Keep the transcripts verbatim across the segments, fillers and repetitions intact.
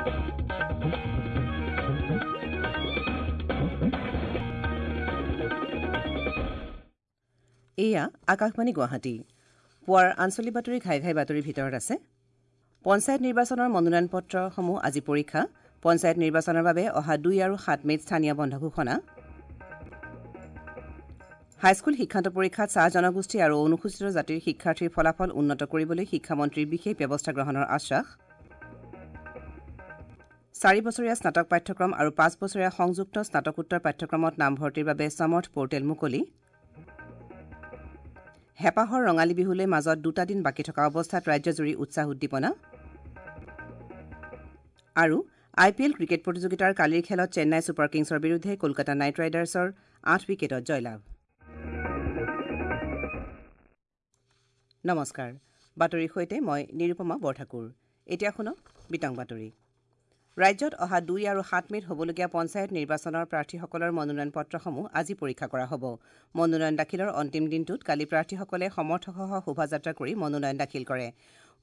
এয়া আকাশবাণী গুৱাহাটী। পুৱাৰ আঞ্চলিক বাতৰি ঘাই ঘাই বাতৰিৰ ভিতৰত আছে পঞ্চায়ত নিৰ্বাচনৰ মনোনয়ন পত্ৰসমূহ আজি পৰীক্ষা। পঞ্চায়ত নিৰ্বাচনৰ বাবে অহা দুই আৰু সাত মে'ত স্থানীয় বন্ধ ঘোষণা। হাইস্কুল শিক্ষান্ত পৰীক্ষাত চাহ জনগোষ্ঠী আৰু অনুসূচিত জাতিৰ শিক্ষাৰ্থীৰ ফলাফল উন্নত কৰিবলৈ শিক্ষামন্ত্ৰীৰ বিশেষ ব্যৱস্থা গ্ৰহণৰ আশ্বাস। চাৰি বছৰীয়া স্নাতক পাঠ্যক্ৰম আৰু পাঁচ বছৰীয়া সংযুক্ত স্নাতকোত্তৰ পাঠ্যক্ৰমত নামভৰ্তিৰ বাবে সমৰ্থ পৰ্টেল মুকলি। হেঁপাহৰ ৰঙালী বিহুলৈ মাজত দুটা দিন বাকী থকা অৱস্থাত ৰাজ্যজুৰি উৎসাহ উদ্দীপনা। আৰু আই পি এল ক্ৰিকেট প্ৰতিযোগিতাৰ কালিৰ খেলত চেন্নাই ছুপাৰ কিংছৰ বিৰুদ্ধে কলকাতা নাইট ৰাইডাৰ্ছৰ আঠ উইকেটত জয়লাভ। নমস্কাৰ, বাতৰিৰ সৈতে মই নিৰুপমা বৰঠাকুৰ। এতিয়া শুনক বিতং বাতৰি। ৰাজ্যত অহা দুই আৰু সাত মে'ত হ'বলগীয়া পঞ্চায়ত নিৰ্বাচনৰ প্ৰাৰ্থীসকলৰ মনোনয়ন পত্ৰসমূহ আজি পৰীক্ষা কৰা হ'ব। মনোনয়ন দাখিলৰ অন্তিম দিনটোত কালি প্ৰাৰ্থীসকলে সমৰ্থকসহ শোভাযাত্ৰা কৰি মনোনয়ন দাখিল কৰে।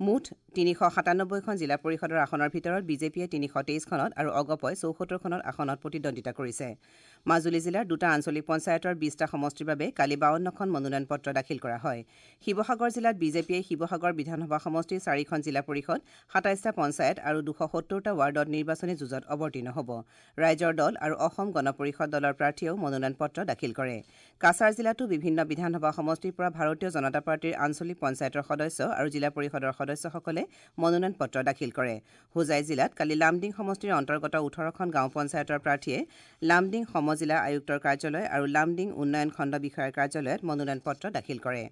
মুঠ তিনিশ সাতানব্বৈখন জিলা পৰিষদৰ আসনৰ ভিতৰত বিজেপিয়ে তিনিশ তেইছখনত আৰু অগপই চৌসত্তৰখনত আসনত প্ৰতিদ্বন্দ্বিতা কৰিছে। মাজুলী জিলাৰ দুটা আঞ্চলিক পঞ্চায়তৰ বিছটা সমষ্টিৰ বাবে কালি বাৱন্নখন মনোনয়ন পত্ৰ দাখিল কৰা হয়। শিৱসাগৰ জিলাত বিজেপিয়ে শিৱসাগৰ বিধানসভা সমষ্টিৰ চাৰিখন জিলা পৰিষদ, সাতাইছটা পঞ্চায়ত আৰু দুশ সত্তৰটা ৱাৰ্ডত নিৰ্বাচনী যুঁজত অৱতীৰ্ণ হ'ব। ৰাইজৰ দল আৰু অসম গণ পৰিষদ দলৰ প্ৰাৰ্থীয়েও মনোনয়ন পত্ৰ দাখিল কৰে। কাছাৰ জিলাতো বিভিন্ন বিধানসভা সমষ্টিৰ পৰা ভাৰতীয় জনতা পাৰ্টীৰ আঞ্চলিক পঞ্চায়তৰ সদস্য আৰু জিলা পৰিষদৰ সদস্যসকলে মনোনয়ন পত্ৰ দাখিল কৰে। হোজাই জিলাত কালি লামডিং সমষ্টিৰ অন্তৰ্গত ওঠৰখন গাঁও পঞ্চায়তৰ প্ৰাৰ্থীয়ে লামডিং সমজিলা আয়ুক্তৰ কাৰ্যালয় আৰু লামডিং উন্নয়ন খণ্ড বিষয়াৰ কাৰ্যালয়ত মনোনয়ন পত্ৰ দাখিল কৰে।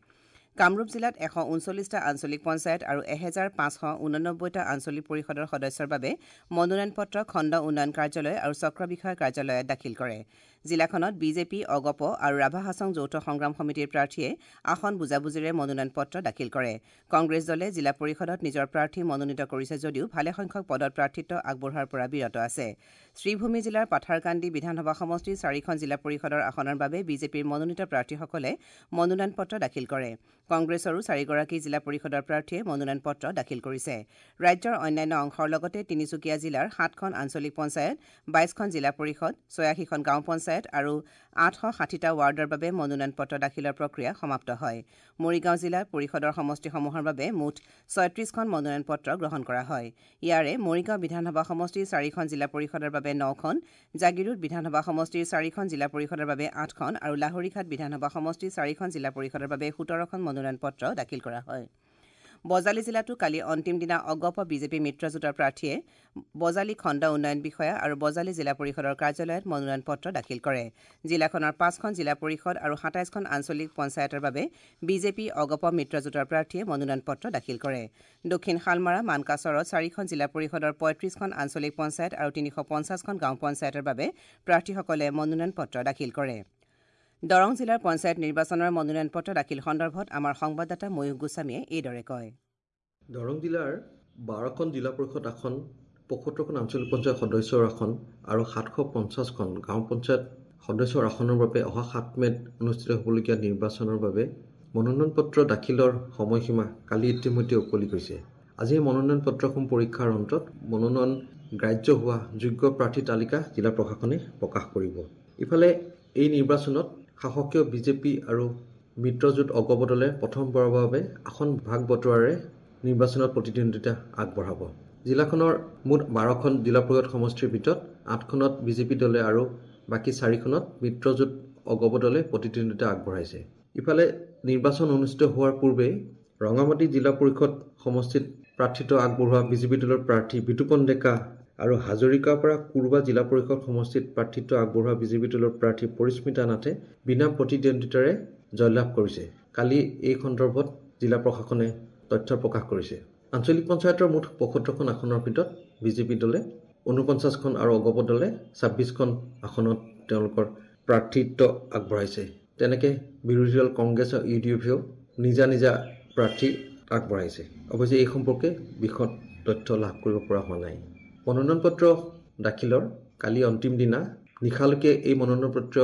কামৰূপ জিলাত এশ ঊনচল্লিছটা আঞ্চলিক পঞ্চায়ত আৰু এহেজাৰ পাঁচশ ঊননব্বৈটা আঞ্চলিক পৰিষদৰ সদস্যৰ বাবে মনোনয়ন পত্ৰ খণ্ড উন্নয়ন কাৰ্যালয় আৰু চক্ৰ বিষয়াৰ কাৰ্যালয়ত দাখিল কৰে। জিলাখনত বিজেপি, অগপ আৰু ৰাভা হাছং যৌথ সংগ্ৰাম সমিতিৰ প্ৰাৰ্থীয়ে আসন বুজাবুজিৰে মনোনয়ন পত্ৰ দাখিল কৰে। কংগ্ৰেছ দলে জিলা পৰিষদত নিজৰ প্ৰাৰ্থী মনোনীত কৰিছে যদিও ভালেসংখ্যক পদত প্ৰাৰ্থিত্ব আগবঢ়োৱাৰ পৰা বিৰত আছে। শ্ৰীভূমি জিলাৰ পাথাৰকান্দি বিধানসভা সমষ্টিৰ চাৰিখন জিলা পৰিষদৰ আসনৰ বাবে বিজেপিৰ মনোনীত প্ৰাৰ্থীসকলে মনোনয়ন পত্ৰ দাখিল কৰে। কংগ্ৰেছৰো চাৰিগৰাকী জিলা পৰিষদৰ প্ৰাৰ্থীয়ে মনোনয়ন পত্ৰ দাখিল কৰিছে। ৰাজ্যৰ অন্যান্য অংশৰ লগতে তিনিচুকীয়া জিলাৰ সাতখন আঞ্চলিক পঞ্চায়ত, বাইছখন জিলা পৰিষদ, ছয়াশীখন গাঁও পঞ্চায়ত আৰু আঠশ ষাঠিটা ৱাৰ্ডৰ বাবে মনোনয়ন পত্ৰ দাখিলৰ প্ৰক্ৰিয়া সমাপ্ত হয়। মৰিগাঁও জিলাৰ পৰিষদৰ সমষ্টিসমূহৰ বাবে মুঠ ছয়ত্ৰিছখন মনোনয়ন পত্ৰ গ্ৰহণ কৰা হয়। ইয়াৰে মৰিগাঁও বিধানসভা সমষ্টিৰ চাৰিখন জিলা পৰিষদৰ বাবে নখন, জাগীৰোড বিধানসভা সমষ্টিৰ চাৰিখন জিলা পৰিষদৰ বাবে আঠখন আৰু লাহৰীঘাট বিধানসভা সমষ্টিৰ চাৰিখন জিলা পৰিষদৰ বাবে সোতৰখন মনোনয়ন পত্ৰ দাখিল কৰা হয়। বজালী জিলাতো কালি অন্তিম দিনা অগপ বিজেপি মিত্ৰজোঁটৰ প্ৰাৰ্থীয়ে বজালী খণ্ড উন্নয়ন বিষয়া আৰু বজালী জিলা পৰিষদৰ কাৰ্যালয়ত মনোনয়ন পত্ৰ দাখিল কৰে। জিলাখনৰ পাঁচখন জিলা পৰিষদ আৰু সাতাইছখন আঞ্চলিক পঞ্চায়তৰ বাবে বিজেপি অগপ মিত্ৰজোঁটৰ প্ৰাৰ্থীয়ে মনোনয়ন পত্ৰ দাখিল কৰে। দক্ষিণ শালমাৰা মানকাচৰত চাৰিখন জিলা পৰিষদৰ পঁয়ত্ৰিছখন আঞ্চলিক পঞ্চায়ত আৰু তিনিশ পঞ্চাছখন গাঁও পঞ্চায়তৰ বাবে প্ৰাৰ্থীসকলে মনোনয়ন পত্ৰ দাখিল কৰে। দৰং জিলাৰ পঞ্চায়ত নিৰ্বাচনৰ মনোনয়ন পত্ৰ দাখিল সন্দৰ্ভত আমাৰ সংবাদদাতা ময়ূখ গোস্বামীয়ে এইদৰে কয়। দৰং জিলাৰ বাৰখন জিলা পৰিষদ আসন, পঁয়সত্তৰখন আঞ্চলিক পঞ্চায়ত সদস্যৰ আসন আৰু সাতশ পঞ্চাছখন গাঁও পঞ্চায়ত সদস্যৰ আসনৰ বাবে অহা সাত মে'ত অনুষ্ঠিত হ'বলগীয়া নিৰ্বাচনৰ বাবে মনোনয়ন পত্ৰ দাখিলৰ সময়সীমা কালি ইতিমধ্যে উকলি গৈছে। আজি মনোনয়ন পত্ৰসমূহ পৰীক্ষাৰ অন্তত মনোনয়ন গ্ৰাহ্য হোৱা যোগ্য প্ৰাৰ্থীৰ তালিকা জিলা প্ৰশাসনে প্ৰকাশ কৰিব। ইফালে এই নিৰ্বাচনত শাসকীয় বিজেপি আৰু মিত্ৰজোঁট অগপ দলে প্ৰথমবাৰৰ বাবে আসন ভাগ বতৰাৰে নিৰ্বাচনত প্ৰতিদ্বন্দ্বিতা আগবঢ়াব। জিলাখনৰ মুঠ বাৰখন জিলা পৰিষদ সমষ্টিৰ ভিতৰত আঠখনত বিজেপি দলে আৰু বাকী চাৰিখনত মিত্ৰজোঁট অগপ দলে প্ৰতিদ্বন্দ্বিতা আগবঢ়াইছে। ইফালে নিৰ্বাচন অনুষ্ঠিত হোৱাৰ পূৰ্বে ৰঙামাটি জিলা পৰিষদ সমষ্টিত প্ৰাৰ্থিত্ব আগবঢ়োৱা বিজেপি দলৰ প্ৰাৰ্থী বিতুপন ডেকা আৰু হাজৰিকাপাৰা কুৰবা জিলা পৰিষদ সমষ্টিত প্ৰাৰ্থিত্ব আগবঢ়োৱা বিজেপি দলৰ প্ৰাৰ্থী পৰিস্মিতা নাথে বিনা প্ৰতিদ্বন্দ্বিতাৰে জয়লাভ কৰিছে। কালি এই সন্দৰ্ভত জিলা প্ৰশাসনে তথ্য প্ৰকাশ কৰিছে। আঞ্চলিক পঞ্চায়তৰ মুঠ পঁয়সত্তৰখন আসনৰ ভিতৰত বিজেপি দলে ঊনপঞ্চাছখন আৰু অগপ দলে ছাব্বিছখন আসনত তেওঁলোকৰ প্ৰাৰ্থিত্ব আগবঢ়াইছে। তেনেকৈ বিৰোধী দল কংগ্ৰেছ আৰু ইউ ডি এফেও নিজা নিজা প্ৰাৰ্থী আগবঢ়াইছে। অৱশ্যে এই সম্পৰ্কে বিশদ তথ্য লাভ কৰিব পৰা হোৱা নাই। মনোনয়ন পত্ৰ দাখিলৰ কালি অন্তিম দিনা নিশালৈকে এই মনোনয়ন পত্ৰ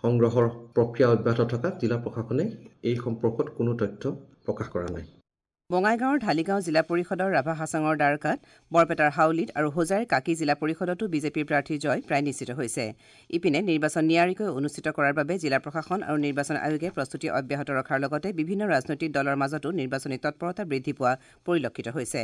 সংগ্ৰহৰ প্ৰক্ৰিয়া অব্যাহত থকা জিলা প্ৰশাসনে এই সম্পৰ্কত কোনো তথ্য প্ৰকাশ কৰা নাই। বঙাইগাঁৱৰ ঢালিগাঁও জিলা পৰিষদৰ ৰাভা হাছাঙৰ দ্বাৰকাত, বৰপেটাৰ হাউলীত আৰু হোজাইৰ কাকী জিলা পৰিষদতো বিজেপিৰ প্ৰাৰ্থীৰ জয় প্ৰায় নিশ্চিত হৈছে। ইপিনে নিৰ্বাচন নিয়াৰিকৈ অনুষ্ঠিত কৰাৰ বাবে জিলা প্ৰশাসন আৰু নিৰ্বাচন আয়োগে প্ৰস্তুতি অব্যাহত ৰখাৰ লগতে বিভিন্ন ৰাজনৈতিক দলৰ মাজতো নিৰ্বাচনী তৎপৰতা বৃদ্ধি পোৱা পৰিলক্ষিত হৈছে।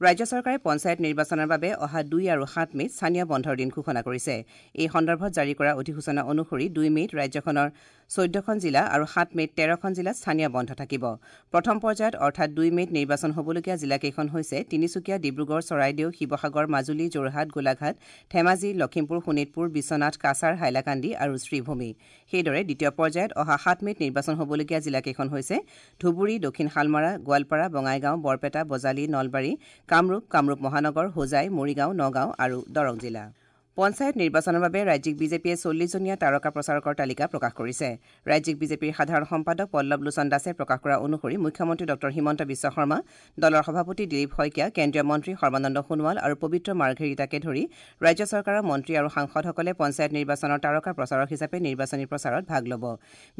ৰাজ্য চৰকাৰে পঞ্চায়ত নিৰ্বাচনৰ বাবে অহা দুই আৰু সাত মে'ত স্থানীয় বন্ধৰ দিন ঘোষণা কৰিছে। এই সন্দৰ্ভত জাৰি কৰা অধিসূচনা অনুসৰি দুই মে'ত ৰাজ্যখনৰ চৈধ্যখন জিলা আৰু সাত মে'ত তেৰখন জিলাত স্থানীয় বন্ধ থাকিব। প্ৰথম পৰ্যায়ত অৰ্থাৎ দুই মে'ত নিৰ্বাচন হ'বলগীয়া জিলাকেইখন হৈছে তিনিচুকীয়া, ডিব্ৰুগড়, চৰাইদেউ, শিৱসাগৰ, মাজুলী, যোৰহাট, গোলাঘাট, ধেমাজি, লখিমপুৰ, শোণিতপুৰ, বিশ্বনাথ, কাছাৰ, হাইলাকান্দি আৰু শ্ৰীভূমি। সেইদৰে দ্বিতীয় পৰ্যায়ত অহা সাত মে'ত নিৰ্বাচন হ'বলগীয়া জিলাকেইখন হৈছে ধুবুৰী, দক্ষিণ শালমাৰা, গোৱালপাৰা, বঙাইগাঁও, বৰপেটা, বজালী, নলবাৰী, কামৰূপ, কামৰূপ মহানগৰ, হোজাই, মৰিগাঁও, নগাঁও আৰু দৰং জিলা। পঞ্চায়ত নিৰ্বাচনৰ বাবে ৰাজ্যিক বিজেপিয়ে চল্লিছজনীয়া তাৰকা প্ৰচাৰকৰ তালিকা প্ৰকাশ কৰিছে। ৰাজ্যিক বিজেপিৰ সাধাৰণ সম্পাদক পল্লৱ লোচন দাসে প্ৰকাশ কৰা অনুসৰি মুখ্যমন্ত্ৰী ডঃ হিমন্ত বিশ্ব শৰ্মা, দলৰ সভাপতি দিলীপ শইকীয়া, কেন্দ্ৰীয় মন্ত্ৰী সৰ্বানন্দ সোণোৱাল আৰু পবিত্ৰ মাৰ্ঘেৰিটাকে ধৰি ৰাজ্য চৰকাৰৰ মন্ত্ৰী আৰু সাংসদসকলে পঞ্চায়ত নিৰ্বাচনৰ তাৰকা প্ৰচাৰক হিচাপে নিৰ্বাচনী প্ৰচাৰত ভাগ ল'ব।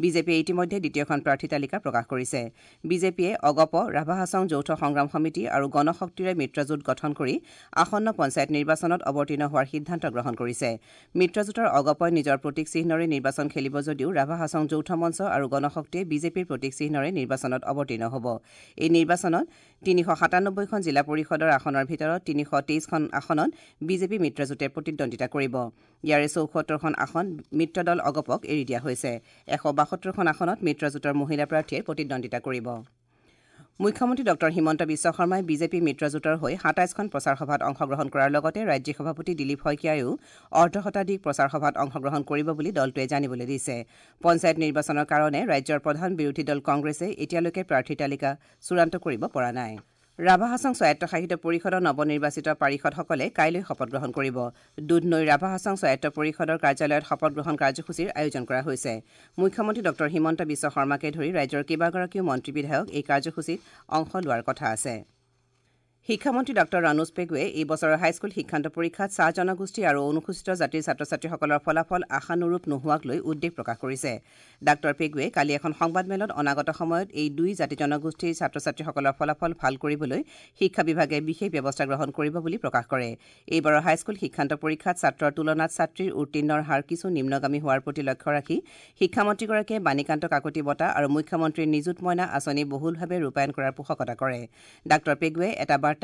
বিজেপিয়ে ইতিমধ্যে দ্বিতীয়খন প্ৰাৰ্থী তালিকা প্ৰকাশ কৰিছে। বিজেপিয়ে অগপ, ৰাভা হাছং যৌথ সংগ্ৰাম সমিতি আৰু গণশক্তিৰে মিত্ৰজোঁট গঠন কৰি আসন্ন পঞ্চায়ত নিৰ্বাচনত অৱতীৰ্ণ হোৱাৰ সিদ্ধান্ত গ্ৰহণ কৰিছে। মিত্ৰজোঁটৰ অগপই নিজৰ প্ৰতীক চিহ্নৰে নিৰ্বাচন খেলিব যদিও ৰাভা হাছং যৌথ মঞ্চ আৰু গণশক্তিয়ে বিজেপিৰ প্ৰতীক চিহ্নৰে নিৰ্বাচনত অৱতীৰ্ণ হ'ব। এই নিৰ্বাচনত তিনিশ সাতানব্বৈখন জিলা পৰিষদৰ আসনৰ ভিতৰত তিনিশ তেইছখন আসনত বিজেপি মিত্ৰজোঁটে প্ৰতিদ্বন্দ্বিতা কৰিব। ইয়াৰে চৌসত্তৰখন আসন মিত্ৰদল অগপক এৰি দিয়া হৈছে। এশ বাসত্তৰখন আসনত মিত্ৰজোঁটৰ মহিলা প্ৰাৰ্থীয়ে প্ৰতিদ্বন্দ্বিতা কৰিব। মুখ্যমন্ত্ৰী ডঃ হিমন্ত বিশ্ব শৰ্মাই বিজেপি মিত্ৰজোঁটৰ হৈ সাতাইছখন প্ৰচাৰ সভাত অংশগ্ৰহণ কৰাৰ লগতে ৰাজ্যিক সভাপতি দিলীপ শইকীয়াইও অৰ্ধশতাধিক প্ৰচাৰ সভাত অংশগ্ৰহণ কৰিব বুলি দলটোৱে জানিবলৈ দিছে। পঞ্চায়ত নিৰ্বাচনৰ কাৰণে ৰাজ্যৰ প্ৰধান বিৰোধী দল কংগ্ৰেছে এতিয়ালৈকে প্ৰাৰ্থীৰ তালিকা চূড়ান্ত কৰিব পৰা নাই। ৰাভা হাছং স্বায়ত্তশাসিত পৰিষদৰ নৱনিৰ্বাচিত পাৰিষদসকলে কাইলৈ শপত গ্ৰহণ কৰিব। দুধনৈৰ ৰাভা হাছং স্বায়ত্ত পৰিষদৰ কাৰ্যালয়ত শপত গ্ৰহণ কাৰ্যসূচীৰ আয়োজন কৰা হৈছে। মুখ্যমন্ত্ৰী ডঃ হিমন্ত বিশ্ব শৰ্মাকে ধৰি ৰাজ্যৰ কেইবাগৰাকীও মন্ত্ৰী বিধায়ক এই কাৰ্যসূচীত অংশ লোৱাৰ কথা আছে। শিক্ষামন্ত্ৰী ডঃ ৰণোজ পেগুৱে এই বছৰৰ হাইস্কুল শিক্ষান্ত পৰীক্ষাত চাহ জনগোষ্ঠী আৰু অনুসূচিত জাতিৰ ছাত্ৰ ছাত্ৰীসকলৰ ফলাফল আশানুৰূপ নোহোৱাক লৈ উদ্বেগ প্ৰকাশ কৰিছে। ডাঃ পেগুৱে কালি এখন সংবাদমেলত অনাগত সময়ত এই দুই জাতি জনগোষ্ঠীৰ ছাত্ৰ ছাত্ৰীসকলৰ ফলাফল ভাল কৰিবলৈ শিক্ষা বিভাগে বিশেষ ব্যৱস্থা গ্ৰহণ কৰিব বুলি প্ৰকাশ কৰে। এইবাৰৰ হাইস্কুল শিক্ষান্ত পৰীক্ষাত ছাত্ৰৰ তুলনাত ছাত্ৰীৰ উত্তীৰ্ণৰ হাৰ কিছু নিম্নগামী হোৱাৰ প্ৰতি লক্ষ্য ৰাখি শিক্ষামন্ত্ৰীগৰাকীয়ে বাণীকান্ত কাকতি বঁটা আৰু মুখ্যমন্ত্ৰীৰ নিযুত মইনা আঁচনি বহুলভাৱে ৰূপায়ণ কৰাৰ পোষকতা কৰে। ডাঃ পেগুৱে এটা বাৰ্তাত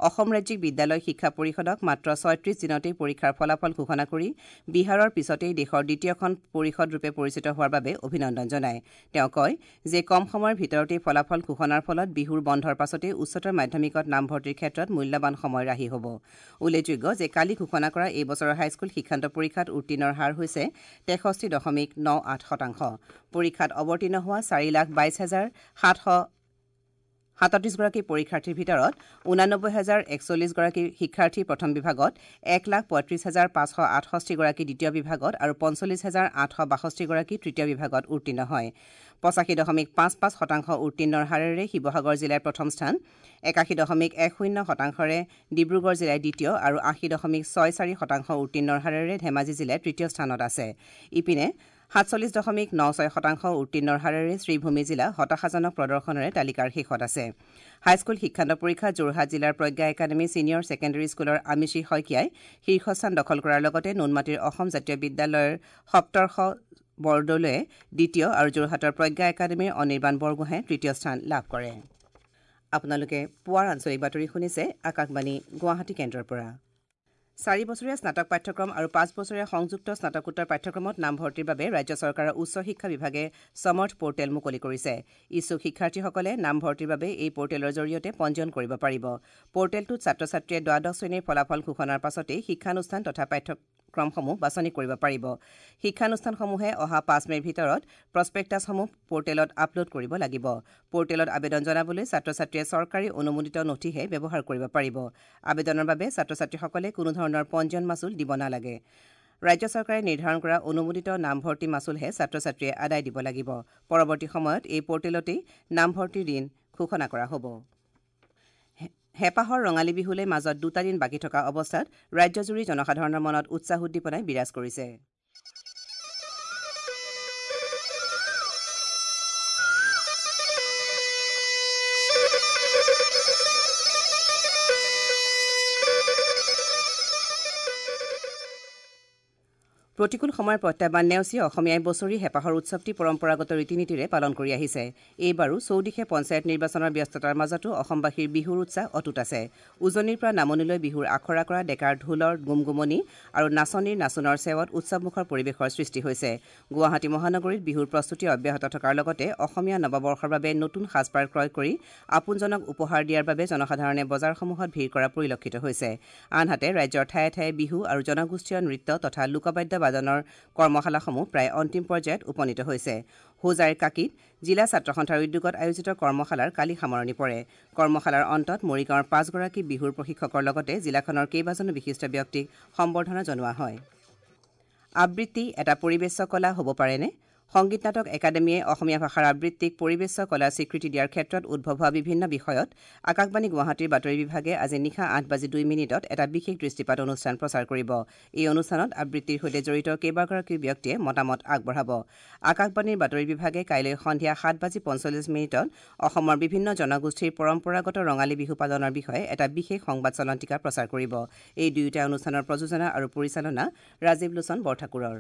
অসম ৰাজ্যিক বিদ্যালয় শিক্ষা পৰিষদক মাত্ৰ ছয়ত্ৰিশ দিনতেই পৰীক্ষাৰ ফলাফল ঘোষণা কৰি বিহাৰৰ পিছতেই দেশৰ দ্বিতীয়খন পৰিষদ ৰূপে পৰিচিত হোৱাৰ বাবে অভিনন্দন জনায়। তেওঁ কয় যে কম সময়ৰ ভিতৰতেই ফলাফল ঘোষণাৰ ফলত বিহুৰ বন্ধৰ পাছতেই উচ্চতৰ মাধ্যমিকত নামভৰ্তিৰ ক্ষেত্ৰত মূল্যৱান সময় ৰাহি হ'ব। উল্লেখযোগ্য যে কালি ঘোষণা কৰা এই বছৰৰ হাইস্কুল শিক্ষান্ত পৰীক্ষাত উত্তীৰ্ণৰ হাৰ হৈছে তেষষ্ঠি দশমিক ন আঠ শতাংশ। পৰীক্ষাত অৱতীৰ্ণ হোৱা চাৰি লাখ বাইছ হাজাৰ সাতশ সাতত্ৰিছগৰাকী পৰীক্ষাৰ্থীৰ ভিতৰত ঊনানব্বৈ হাজাৰ একচল্লিছগৰাকী শিক্ষাৰ্থী প্ৰথম বিভাগত, এক লাখ পঁয়ত্ৰিছ হাজাৰ পাঁচশ আঠষষ্ঠিগৰাকী দ্বিতীয় বিভাগত আৰু পঞ্চল্লিছ হাজাৰ আঠশ বাষষ্ঠিগৰাকী তৃতীয় বিভাগত উত্তীৰ্ণ হয়। পঁচাশী দশমিক পাঁচ পাঁচ শতাংশ উত্তীৰ্ণৰ হাৰেৰে শিৱসাগৰ জিলাই প্ৰথম স্থান, একাশী দশমিক এক শূন্য শতাংশৰে ডিব্ৰুগড় জিলাই দ্বিতীয় আৰু আশী দশমিক ছয় চাৰি শতাংশ উত্তীৰ্ণৰ হাৰেৰে ধেমাজি জিলাই তৃতীয় স্থানত আছে। ইপিনে সাতচল্লিছ দশমিক ন ছয় শতাংশ উত্তীৰ্ণৰ হাৰেৰে শ্ৰীভূমি জিলা হতাশাজনক প্ৰদৰ্শনেৰে তালিকাৰ শীৰ্ষত আছে। হাইস্কুল শিক্ষান্ত পৰীক্ষাত যোৰহাট জিলাৰ প্ৰজ্ঞা একাডেমী ছিনিয়ৰ ছেকেণ্ডেৰী স্কুলৰ আমিষী শইকীয়াই শীৰ্ষস্থান দখল কৰাৰ লগতে নুনমাটিৰ অসম জাতীয় বিদ্যালয়ৰ সপ্তৰ্ষ বৰদলৈয়ে দ্বিতীয় আৰু যোৰহাটৰ প্ৰজ্ঞা একাডেমীৰ অনিৰ্বাণ বৰগোহাঁয়ে তৃতীয় স্থান লাভ কৰে। আপোনালোকে পুৱাৰ আঞ্চলিক বাতৰি শুনিছে আকাশবাণী গুৱাহাটী কেন্দ্ৰৰ পৰা। চাৰি বছৰীয়া স্নাতক পাঠ্যক্ৰম আৰু পাঁচ বছৰীয়া সংযুক্ত স্নাতকোত্তৰ পাঠ্যক্ৰমত নামভৰ্তিৰ বাবে ৰাজ্য চৰকাৰৰ উচ্চ শিক্ষা বিভাগে সমৰ্থ পৰ্টেল মুকলি কৰিছে। ইচ্ছুক শিক্ষাৰ্থীসকলে নামভৰ্তিৰ বাবে এই পৰ্টেলৰ জৰিয়তে পঞ্জীয়ন কৰিব পাৰিব। পৰ্টেলটোত ছাত্ৰ ছাত্ৰীয়ে দ্বাদশ শ্ৰেণীৰ ফলাফল ঘোষণাৰ পাছতেই শিক্ষানুষ্ঠান তথা পাঠ্যক্ৰমসমূহ বাছনি কৰিব পাৰিব। শিক্ষানুষ্ঠানসমূহে অহা পাঁচ মে'ৰ ভিতৰত প্ৰস্পেক্টাছসমূহ পৰ্টেলত আপলোড কৰিব লাগিব। পৰ্টেলত আবেদন জনাবলৈ ছাত্ৰ ছাত্ৰীয়ে চৰকাৰী অনুমোদিত নথিহে ব্যৱহাৰ কৰিব পাৰিব। আবেদনৰ বাবে ছাত্ৰ ছাত্ৰীসকলে কোনো ধৰণৰ পঞ্জীয়ন মাচুল দিব নালাগে। ৰাজ্য চৰকাৰে নিৰ্ধাৰণ কৰা অনুমোদিত নামভৰ্তি মাচুলহে ছাত্ৰ ছাত্ৰীয়ে আদায় দিব লাগিব। পৰৱৰ্তী সময়ত এই পৰ্টেলতেই নামভৰ্তিৰ দিন ঘোষণা কৰা হ'ব। হেঁপাহৰ ৰঙালী বিহুলৈ মাজত দুটা দিন বাকী থকা অৱস্থাত ৰাজ্যজুৰি জনসাধাৰণৰ মনত উৎসাহ উদ্দীপনাই বিৰাজ কৰিছে। প্ৰতিকূল সময়ৰ প্ৰত্যাহ্বান নেওচি অসমীয়াই বছৰি হেঁপাহৰ উৎসৱটি পৰম্পৰাগত ৰীতি নীতিৰে পালন কৰি আহিছে। এইবাৰো চৌদিশে পঞ্চায়ত নিৰ্বাচনৰ ব্যস্ততাৰ মাজতো অসমবাসীৰ বিহুৰ উৎসাহ অটুট আছে। উজনিৰ পৰা নামনিলৈ বিহুৰ আখৰা কৰা ডেকাৰ ঢোলৰ গুমগুমনি আৰু নাচনীৰ নাচোনৰ চেৱত উৎসৱমুখৰ পৰিৱেশৰ সৃষ্টি হৈছে। গুৱাহাটী মহানগৰীত বিহুৰ প্ৰস্তুতি অব্যাহত থকাৰ লগতে অসমীয়া নৱবৰ্ষৰ বাবে নতুন সাজপাৰ ক্ৰয় কৰি আপোনজনক উপহাৰ দিয়াৰ বাবে জনসাধাৰণে বজাৰসমূহত ভিৰ কৰা পৰিলক্ষিত হৈছে। আনহাতে ৰাজ্যৰ ঠায়ে ঠায়ে বিহু আৰু জনগোষ্ঠীয় নৃত্য তথা লোকবাদ্য বাদনৰ কৰ্মশালাসমূহ প্ৰায় অন্তিম পৰ্যায়ত উপনীত হৈছে। হোজাইৰ কাকীত জিলা ছাত্ৰ সন্থাৰ উদ্যোগত আয়োজিত কৰ্মশালাৰ কালি সামৰণি পৰে। কৰ্মশালাৰ অন্তত মৰিগাঁৱৰ পাঁচগৰাকী বিহুৰ প্ৰশিক্ষকৰ লগতে জিলাখনৰ কেইবাজনো বিশিষ্ট ব্যক্তিক সম্বৰ্ধনা জনোৱা হয়। আবৃত্তি এটা পৰিৱেশ্য কলা হ'ব পাৰেনে? সংগীত নাটক একাডেমীয়ে অসমীয়া ভাষাৰ আবৃত্তিক পৰিৱেশ্য কলাৰ স্বীকৃতি দিয়াৰ ক্ষেত্ৰত উদ্ভৱ হোৱা বিভিন্ন বিষয়ত আকাশবাণী গুৱাহাটীৰ বাতৰি বিভাগে আজি নিশা আঠ বাজি দুই মিনিটত এটা বিশেষ দৃষ্টিপাত অনুষ্ঠান প্ৰচাৰ কৰিব। এই অনুষ্ঠানত আবৃত্তিৰ সৈতে জড়িত কেইবাগৰাকী ব্যক্তিয়ে মতামত আগবঢ়াব। আকাশবাণীৰ বাতৰি বিভাগে কাইলৈ সন্ধিয়া সাত বাজি পঞ্চল্লিছ মিনিটত অসমৰ বিভিন্ন জনগোষ্ঠীৰ পৰম্পৰাগত ৰঙালী বিহু পালনৰ বিষয়ে এটা বিশেষ সংবাদ চলন্তিকা প্ৰচাৰ কৰিব। এই দুয়োটা অনুষ্ঠানৰ প্ৰযোজনা আৰু পৰিচালনা ৰাজীৱ লোচন বৰঠাকুৰৰ।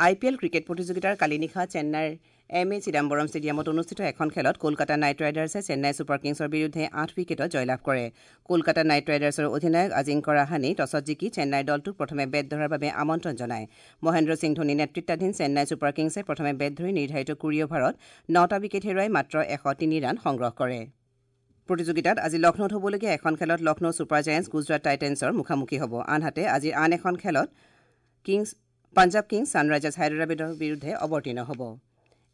আই পি এল ক্ৰিকেট প্ৰতিযোগিতাৰ কালি নিশা চেন্নাইৰ এম এ চিদাম্বৰম ষ্টেডিয়ামত অনুষ্ঠিত এখন খেলত কলকাতা নাইট ৰাইডাৰ্ছে চেন্নাই ছুপাৰ কিংছৰ বিৰুদ্ধে আঠ উইকেটত জয়লাভ কৰে। কলকাতা নাইট ৰাইডাৰ্ছৰ অধিনায়ক আজিংক্য ৰাহানেই টছত জিকি চেন্নাইৰ দলটোক প্ৰথমে বেট ধৰাৰ বাবে আমন্ত্ৰণ জনায়। মহেন্দ্ৰ সিং ধোনী নেতৃত্বাধীন চেন্নাই ছুপাৰ কিংছে প্ৰথমে বেট ধৰি নিৰ্ধাৰিত কুৰি অভাৰত নটা উইকেট হেৰুৱাই মাত্ৰ এশ তিনি ৰান সংগ্ৰহ কৰে। প্ৰতিযোগিতাত আজি লক্ষ্ণৌত হ'বলগীয়া এখন খেলত লক্ষ্ণৌ ছুপাৰ জায়েণ্টছ গুজৰাট টাইটেন্সৰ মুখামুখি হ'ব। আনহাতে আজিৰ আন এখন খেলত কিংছ পাঞ্জাৱ কিংছ ছানৰাইজাৰ্ছ হায়দৰাবাদৰ বিৰুদ্ধে অৱতীৰ্ণ হ'ব।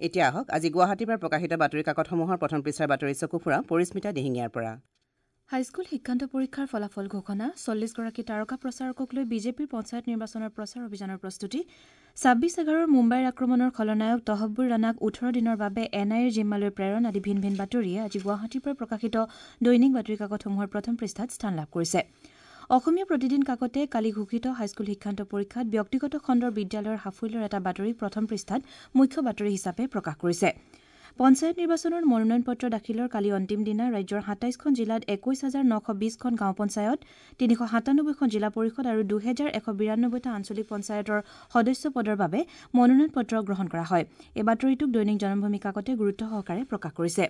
এতিয়া আহক আজি গুৱাহাটীৰ পৰা প্ৰকাশিত বাতৰি কাকতসমূহৰ প্ৰথম পৃষ্ঠাৰ বাতৰি চকু ফুৰা পৰিস্মিতা দিহিঙীয়াৰ পৰা। হাইস্কুল শিক্ষান্ত পৰীক্ষাৰ ফলাফল ঘোষণা, চল্লিছগৰাকী তাৰকা প্ৰচাৰকক লৈ বিজেপিৰ পঞ্চায়ত নিৰ্বাচনৰ প্ৰচাৰ অভিযানৰ প্ৰস্তুতি, ছাব্বিছ এঘাৰৰ মুম্বাইৰ আক্ৰমণৰ খলনায়ক তহব্বুৰ ৰাণাক ওঠৰ দিনৰ বাবে এন আই এৰ জিম্মালৈ প্ৰেৰণ আদি ভিন ভিন বাতৰিয়ে আজি গুৱাহাটীৰ পৰা প্ৰকাশিত দৈনিক বাতৰি কাকতসমূহৰ প্ৰথম পৃষ্ঠাত স্থান লাভ কৰিছে। অসমীয়া প্ৰতিদিন কাকতে কালি ঘোষিত হাইস্কুল শিক্ষান্ত পৰীক্ষাত ব্যক্তিগত খণ্ডৰ বিদ্যালয়ৰ সাফল্যৰ এটা বাতৰি প্ৰথম পৃষ্ঠাত মুখ্য বাতৰি হিচাপে প্ৰকাশ কৰিছে। পঞ্চায়ত নিৰ্বাচনৰ মনোনয়ন পত্ৰ দাখিলৰ কালি অন্তিম দিনা ৰাজ্যৰ সাতাইছখন জিলাত একৈছ হাজাৰ নশ বিছখন গাঁও পঞ্চায়ত, তিনিশ সাতানব্বৈখন জিলা পৰিষদ আৰু দুহেজাৰ এশ বিৰান্নব্বৈটা আঞ্চলিক পঞ্চায়তৰ সদস্য পদৰ বাবে মনোনয়ন পত্ৰ গ্ৰহণ কৰা হয়। এই বাতৰিটোক দৈনিক জনমভূমি কাকতে গুৰুত্ব সহকাৰে প্ৰকাশ কৰিছে।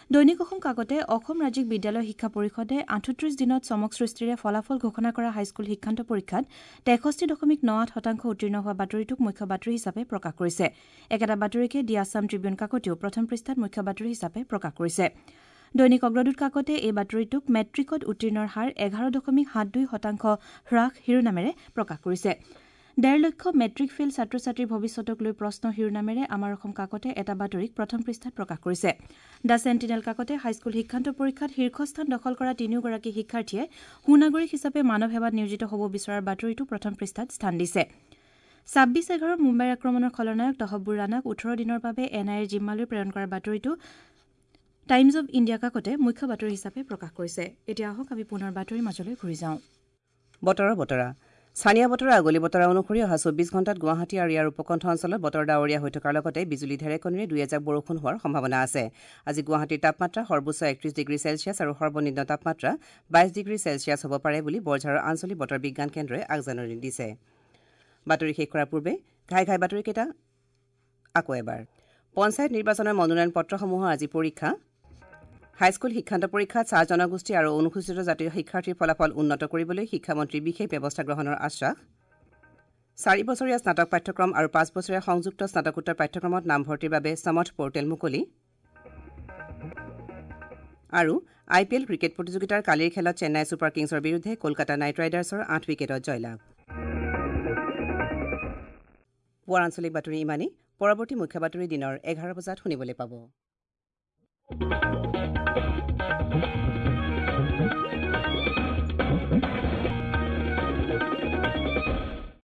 দৈনিক অসম কাকতে অসম ৰাজ্যিক বিদ্যালয় শিক্ষা পৰিষদে আঠত্ৰিছ দিনত চমক সৃষ্টিৰে ফলাফল ঘোষণা কৰা হাইস্কুল শিক্ষান্ত পৰীক্ষাত তেষষ্ঠি দশমিক ন আঠ শতাংশ উত্তীৰ্ণ হোৱা বাতৰিটোক মুখ্য বাতৰি হিচাপে প্ৰকাশ কৰিছে। একেটা বাতৰিকে দি আছাম ট্ৰিবিউন কাকতেও প্ৰথম পৃষ্ঠাত মুখ্য বাতৰি হিচাপে প্ৰকাশ কৰিছে। দৈনিক অগ্ৰদূত কাকতে এই বাতৰিটোক মেট্ৰিকত উত্তীৰ্ণৰ হাৰ এঘাৰ দশমিক সাত দুই শতাংশ হ্ৰাস শিৰোনামেৰে প্ৰকাশ কৰিছে। ডেৰ লক্ষ মেট্ৰিক ফেইল ছাত্ৰ ছাত্ৰীৰ ভৱিষ্যতক লৈ প্ৰশ্ন শিৰোনামেৰে আমাৰ অসম কাকতে এটা বাতৰিক প্ৰথম পৃষ্ঠাত প্ৰকাশ কৰিছে। The sentinel কাকতে হাইস্কুল শিক্ষান্ত পৰীক্ষাত শীৰ্ষস্থান দখল কৰা তিনিওগৰাকী শিক্ষাৰ্থীয়ে সুনাগৰিক হিচাপে মানৱ সেৱাত নিয়োজিত হ'ব বিচৰাৰ বাতৰিটো প্ৰথম পৃষ্ঠাত স্থান দিছে। ছাব্বিছ এঘাৰৰ মুম্বাইৰ আক্ৰমণৰ খলনায়ক তহব্বুৰ ৰাণাক ওঠৰ দিনৰ বাবে এন আই এৰ জিম্মালৈ প্ৰেৰণ কৰাৰ বাতৰিটো টাইমছ অৱ ইণ্ডিয়া কাকতে মুখ্য বাতৰি হিচাপে প্ৰকাশ কৰিছে। এতিয়া আহক আমি পুনৰ বাতৰিৰ মাজলৈ ঘূৰি যাওঁ। বতৰৰ বতৰা স্থানীয় বতৰৰ আগলি বতৰা অনুসৰি অহা চৌবিছ ঘণ্টাত গুৱাহাটী আৰু ইয়াৰ উপকণ্ঠ অঞ্চলত বতৰ ডাৱৰীয়া হৈ থকাৰ লগতে বিজুলী ঢেৰেকনিৰে দুই এজাক বৰষুণ হোৱাৰ সম্ভাৱনা আছে। আজি গুৱাহাটীৰ তাপমাত্ৰা সৰ্বোচ্চ একত্ৰিছ ডিগ্ৰী চেলছিয়াছ আৰু সৰ্বনিম্ন তাপমাত্ৰা বাইছ ডিগ্ৰী চেলছিয়াছ হ'ব পাৰে বুলি বৰঝাৰৰ আঞ্চলিক বতৰ বিজ্ঞান কেন্দ্ৰই আগজাননী দিছে। বাতৰি শেষ কৰাৰ পূৰ্বে ঘাই ঘাই বাতৰিকেইটা আকৌ এবাৰ। পঞ্চায়ত নিৰ্বাচনৰ মনোনয়ন পত্ৰসমূহৰ আজি পৰীক্ষা। হাইস্কুল শিক্ষান্ত পৰীক্ষাত চাহ জনগোষ্ঠী আৰু অনুসূচিত জাতিৰ শিক্ষাৰ্থীৰ ফলাফল উন্নত কৰিবলৈ শিক্ষামন্ত্ৰীৰ বিশেষ ব্যৱস্থা গ্ৰহণৰ আশ্বাস। চাৰি বছৰীয়া স্নাতক পাঠ্যক্ৰম আৰু পাঁচ বছৰীয়া সংযুক্ত স্নাতকোত্তৰ পাঠ্যক্ৰমত নামভৰ্তিৰ বাবে সমৰ্থ পৰ্টেল মুকলি। আৰু আই পি এল ক্ৰিকেট প্ৰতিযোগিতাৰ কালিৰ খেলত চেন্নাই ছুপাৰ কিংছৰ বিৰুদ্ধে কলকাতা নাইট ৰাইডাৰ্ছৰ আঠ উইকেটত জয়লাভ। পুৱাৰ আঞ্চলিক বাতৰি ইমানেই। পৰৱৰ্তী মুখ্য বাতৰি দিনৰ এঘাৰ বজাত শুনিবলৈ পাব।